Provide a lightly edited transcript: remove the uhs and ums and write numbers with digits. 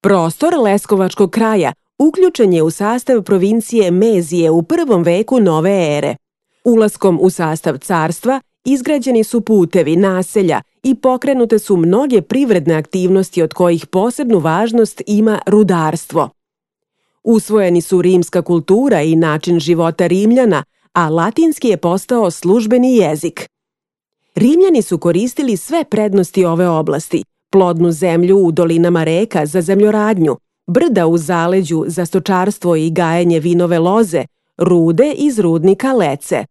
Prostor Leskovačkog kraja uključen je u sastav provincije Mezije u 1. veku nove ere. Ulaskom u sastav carstva izgrađeni su putevi, naselja i pokrenute su mnoge privredne aktivnosti od kojih posebnu važnost ima rudarstvo. Usvojeni su rimska kultura i način života Rimljana, a latinski je postao službeni jezik. Rimljani su koristili sve prednosti ove oblasti, plodnu zemlju u dolinama reka za zemljoradnju, brda u zaleđu za stočarstvo i gajenje vinove loze, rude iz rudnika Lece.